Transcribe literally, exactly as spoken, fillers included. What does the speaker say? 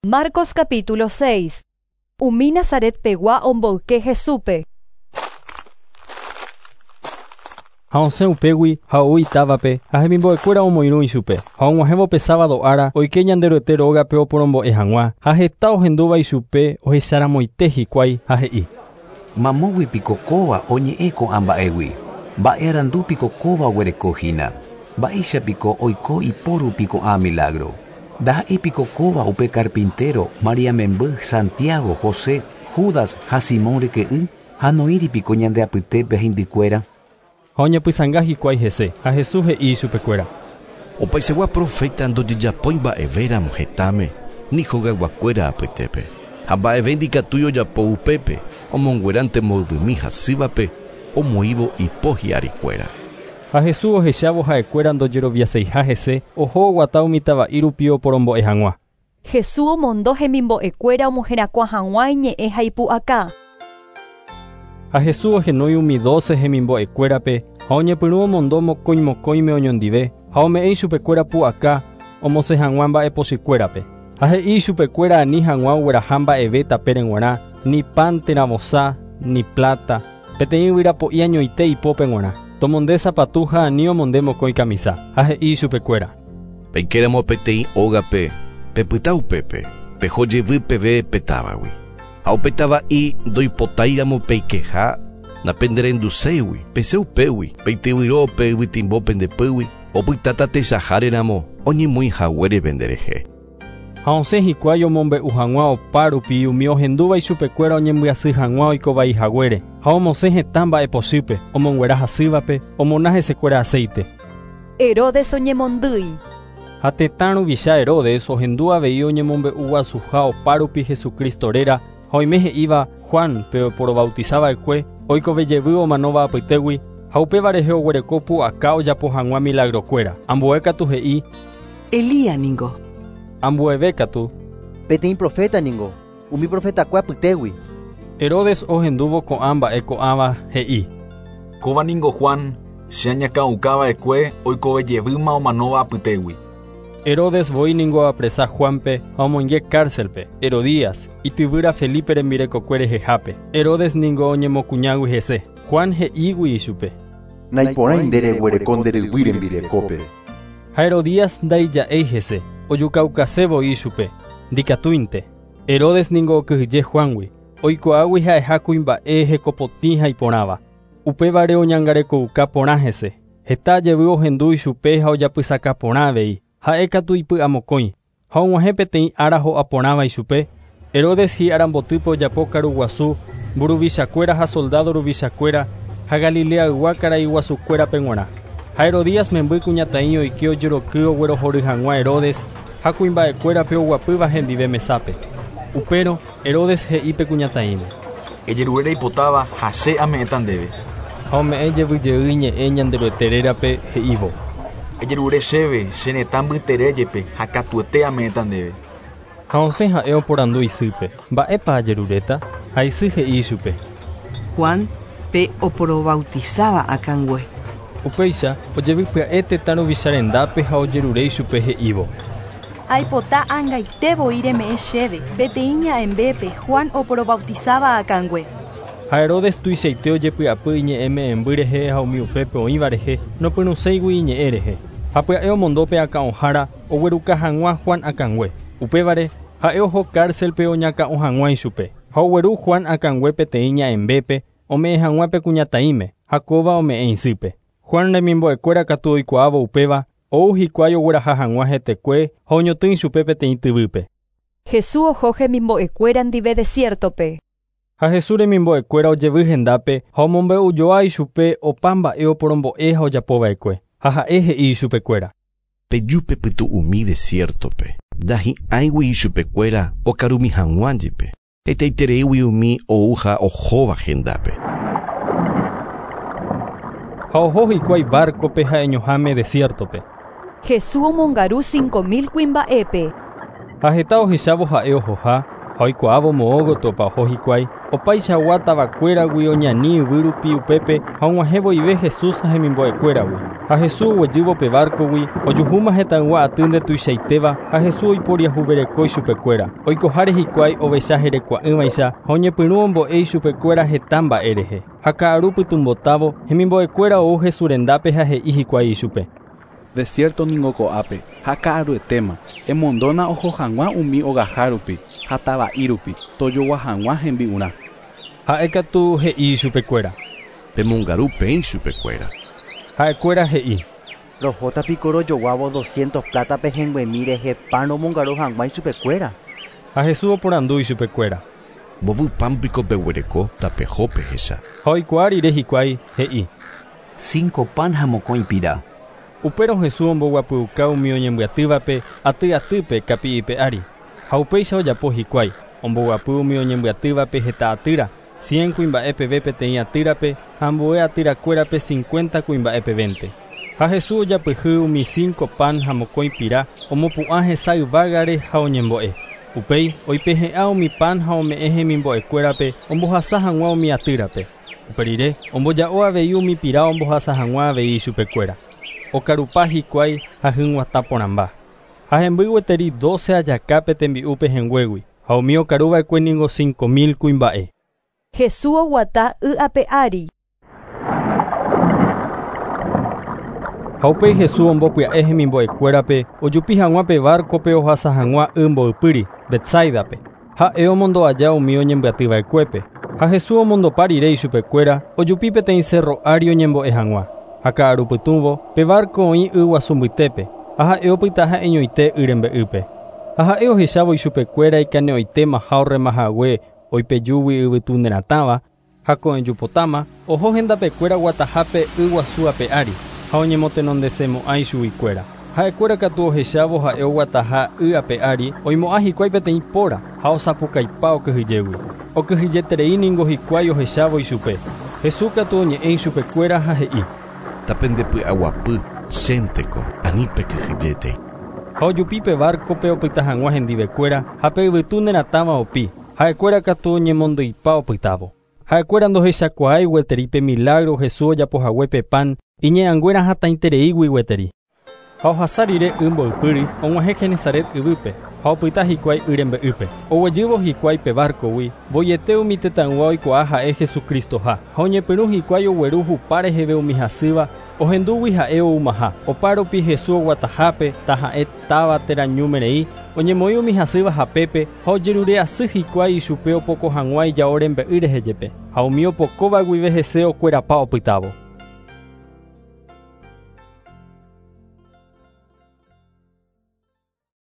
Marcos capítulo seis. Umi Nazaret pegua omboyke Jesúpe. Ha osẽ upégui ha ou itávape ha hemimbo'ekuéra omoirũ ichupe. Ha og̃uahẽvo pe sábado ára oike Ñanderuete rógape oporombo'e hag̃ua ha heta ohendúva ichupe ohecharamoite hikuái ha he'i. Mamógui piko kóva oñe'ẽ ko'ã mba'égui. Mba'e arandu piko kóva oguereko hína. Mba'éicha piko oiko iporupi ko'ã milagro. Ndaha'éi piko kóva upe carpintero María memby, Santiago, José, Judas ha Simón ryke'y ha noĩri piko ñande apytépe heindykuéra. Ha oñepysãnga hikuái hese ha Jesús he'i ichupekuéra. Opaisegua profeta ndojejapói mba'evéramo hetãme ni hogayguakuéra apytépe. Ha mba'eve ndikatúi ojapo upépe omongueránte mboyvymi hasývape omoĩvo ipo hi'arikuéra. Ha Jesús ohechávo ha'ekuéra ndojeroviaseiha hese oho oguata umi tava'i rupi oporombo'e hag̃ua. Jesús omondo hemimbo'ekuéra omoherakuã hag̃ua iñe'ẽ ha ipu'aka. Ha Jesús ohenói umi doce hemimbo'ekuérape ha oñepyrũ omondo mokõi mokõime oñondive ha ome'ẽ ichupekuéra pu'aka omosẽ hag̃ua mba'epochykuérape. Ha he'i ichupekuéra ani hag̃ua ogueraha mba'eve tapére g̃uarã, ni pan térã vosa, ni plata, peteĩ yvyrapo'i añoite ipópe g̃uarã. Tomonde sapatu ha ani omonde mokõi kamisa. Ha he'i ichupekuéra. Peikéramo peteĩ ógape, pepyta upépe, peho jevy peve petávagui. Ha upetava'i ndoipotáiramo peikeha napenderenduséigui, pese upégui, peityvyro pe yvytimbo pendepýgui, opytáta techaháreramo oñemoĩhaguére penderehe. Ha osẽ hikuái omombe'u hag̃ua opa rupi umi ohendúva ichupekuéra oñembyasy hag̃ua oikovai haguére ha omosẽ heta mba'epochýpe, omonguera hasývape, omona hesekuéra aceite. Herodes oñemondýi. Ha tetã ruvicha Herodes ohendu avei oñemombe'u guasuha opa rupi Jesucristo réra ha oime he'íva Juan pe oporobautizava'ekue oikove jevy omanóva apytégui ha upéva rehe oguereko pu'aka ojapo hag̃ua milagrokuéra. Ambue katu he'i Elías ningo. Ambueve katu Peteĩ profeta ningo, umi profetakue apytégui. Herodes ohendúvo ko'ã mba'e ko'ãva he'i. Kóva ningo Juan, che añakãukava'ekue oikove jevýma omanóva apytégui. Herodes voi ningo apresa Juanpe ha omoinge cárcelpe. Herodías, ityvýra Felipe rembirekokue rehehápe. Herodes ningo oñemokuñágui hese. Juan he'ígui ichupe. Naiporãi nde reguereko nde ryvy rembirekópe. Ha Herodías ndaija'éi hese, ojukaukase voi ichupe. Ndikatúinte. Herodes ningo okyhyje Juangui. Oikuaágui ha'eha kuimba'e hekopotĩ ha iporãva. Upévare oñangarekouka porã hese. Heta jevy ohendu ichupe ha ojapysaka porã avei. Ha'e katu ipy'amokõi. Ha og̃uahẽ peteĩ ára ho'a porãva ichupe. Herodes hi'arambotýpe ojapo karuguasu, mburuvichakuéra ha soldado ruvichakuéra ha Galileaygua karaiguasukuérape g̃uarã. Ha Herodías memby kuñataĩ oike ojeroky oguerohory hag̃ua Herodes ha kuimba'ekuérape oguapýva hendive mesápe. Upérõ Herodes he'i pe kuñataĩme. Ejerure reipotáva ha che ame'ẽta ndéve. Ha ome'ẽ jevyjey ñe'ẽ Ñanderuete rérape he'ívo. Ejerure chéve che retã mbytere jepe ha katuete ame'ẽta ndéve. Ha osẽ ha'e oporandu isýpe. Mba'épa ajeruréta? Ha isy he'i ichupe. Juan pe oporobautizaba akãngue. Upéicha ojevy pya'e tetã ruvicha rendápe ha ojerure ichupe he'ívo. Aipota angaite voi reme'ẽ chéve peteĩ ña'ẽmbépe Juan oporobautizaba akãngue. Ha Herodes tuichaite ojepy'apy iñe'ẽme'ẽmby rehe ha umi upépe oĩva rehe nopyrũséigui iñe'ẽ rehe. Ha pya'e omondo pe akã'ohára ogueruka hag̃ua Juan akãngue. Upévare ha'e oho cárcelpe oñakã'o hag̃ua ichupe. Ha ogueru Juan akãngue peteĩ ña'ẽmbépe ome'ẽ hag̃ua pe kuñataĩme ha kóva ome'ẽ isýpe. Juan remimbo'ekuéra katu oikuaávo upéva ou hikuái ogueraha hag̃ua hetekue ha oñotỹ ichupe peteĩ tyvýpe. Jesús oho hemimbo'ekuéra ndive desiertope. Ha Jesús remimbo'ekuéra ojevy hendápe ha omombe'ujoa ichupe opa mba'e oporombo'e ha ojapova'ekue. Ha ha'e he'i ichupekuéra. Peju pytu'umi desiertope, ndahi'ãigui ichupekuéra okarumi hag̃ua jepe. Hetaitereígui umi ou ha ohóva hendápe. Ha oho hikuái barcope ha'eñoháme desiertope. Jesús omongaru cinco mil kuimba'épe. Ha heta ohechávo ha'e ohoha ha oikuaávo moõ gotyopa oho hikuái Opaichagua tavakuéragui oñani yvýrupi upépe ha og̃uahẽ voive Jesús ha hemimbo'ekuéragui. Ha Jesús oguejývo pe barcogui ojuhúma hetãygua aty ndetuichaitéva ha Jesús oiporiahuvereko ichupekuéra. Oikoháre hikuái ovecha herekua'ỹvaicha ha oñepyrũ ombo'e ichupekuéra heta mba'e rehe. Ha ka'aru pytũmbotávo hemimbo'ekuéra ou Jesús rendápe ha he'i hikuái ichupe. Desierto ningo ko'ápe ha ka'aruetéma emondóna oho hag̃ua umi ogahárupi ha tava'irupi tojogua hag̃ua hembi'urã. Ha'ékatu he'i ichupekuéra. Pemongaru peẽ ichupekuéra. Ha'ekuéra he'i. Rohóta piko rojoguávo doscientos plata pehẽnguemi rehe pan romongaru hag̃ua ichupekuéra. Ha Jesús oporandu ichupekuéra. Mbovy pan piko peguereko tapeho pehecha. Ha oikuaa rire hikuái he'i. Cinco pan ha mokõi pira. Upérõ Jesús omboguapyuka umi oñembyatývape aty atýpe kapi'ipe ári. Ha upéicha ojapo hikuái omboguapy umi oñembyatývape heta atýra cien kuimba'e peve peteĩ atýrape ha ambue atýrakuérape cincuenta kuimba'e pevénte. Ha Jesús ojapyhy umi cinco pan ha mokõi pira omopu'ã hesa yvágare ha oñembo'e. Upéi oipehe'ã umi pan ha ome'ẽ hemimbo'ekuérape ombohasa hag̃ua umi atýrape. Upe rire omboja'o avei umi pira ombohasa hag̃ua avei ichupekuéra. Okarupa hikuái ha hyg̃uatã porãmba. Ha hemby gueteri doce ajakápe tembi'úpe henguégui ha umi okaruva'ekue ningo cinco mil kuimba'e. Jesús oguata y ape ári. Ha upéi Jesús ombopya'e hemimbo'ekuérape ojupi hag̃ua pe barcope ohasa hag̃ua y mboypýri Betsaidape. Ha'e omondo aja umi oñembyatyva'ekuépe. Ha Jesús omondopa rire ichupekuéra ojupi peteĩ cerro ári oñembo'e hag̃ua. Ha ka'arupytũvo pe barco oĩ yguasu mbytépe ha ha'e opyta ha'eñoite y rembe'ýpe. Ha ha'e ohechávo ichupekuéra ikane'õitéma ha orremahague oipejúgui yvytu neratãva ha ko'ẽjupotáma oho hendapekuéra guatahápe yguasu ape ári ha oñemotenondesemo'ã ichuguikuéra. Ha'ekuéra katu ohechávo ha'e oguataha y ape ári oimo'ã hikuái peteĩ póra ha osapukaipa okyhyjégui. Okyhyjeterei ningo hikuái ohechávo ichupe. Jesús katu oñe'ẽ ichupekuéra ha he'i. Tapendepy'aguapy chénteko ani pekyhyjétei. Ha ojupi pe barcope opyta hag̃ua hendivekuéra ha pe yvytu neratãva opi. Ha'ekuéra katu oñemondyipa opytávo. Ha'ekuéra ndohechakuaái gueteri pe milagro Jesús ojapohague pe pan iñe'ãnguéra hatãitereígui gueteri. Ha ohasa rire y mboypýri og̃uahẽ Genesaret yvýpe ha opyta hikuái y rembe'ýpe. Oguejývo hikuái pe barcogui voiete umi tetãygua oikuaa ha'e Jesucristoha ha oñepyrũ hikuái ogueru hupa reheve umi hasýva ohendúgui ha'e oumaha. Opárupi Jesús oguatahápe taha'e táva térã ñúmerei oñemoĩ umi hasýva hapépe ha ojerure asy hikuái ichupe opoko hag̃ua ijao rembe'y rehe jepe. Ha umi opokóva guive hese okuerapa opytávo.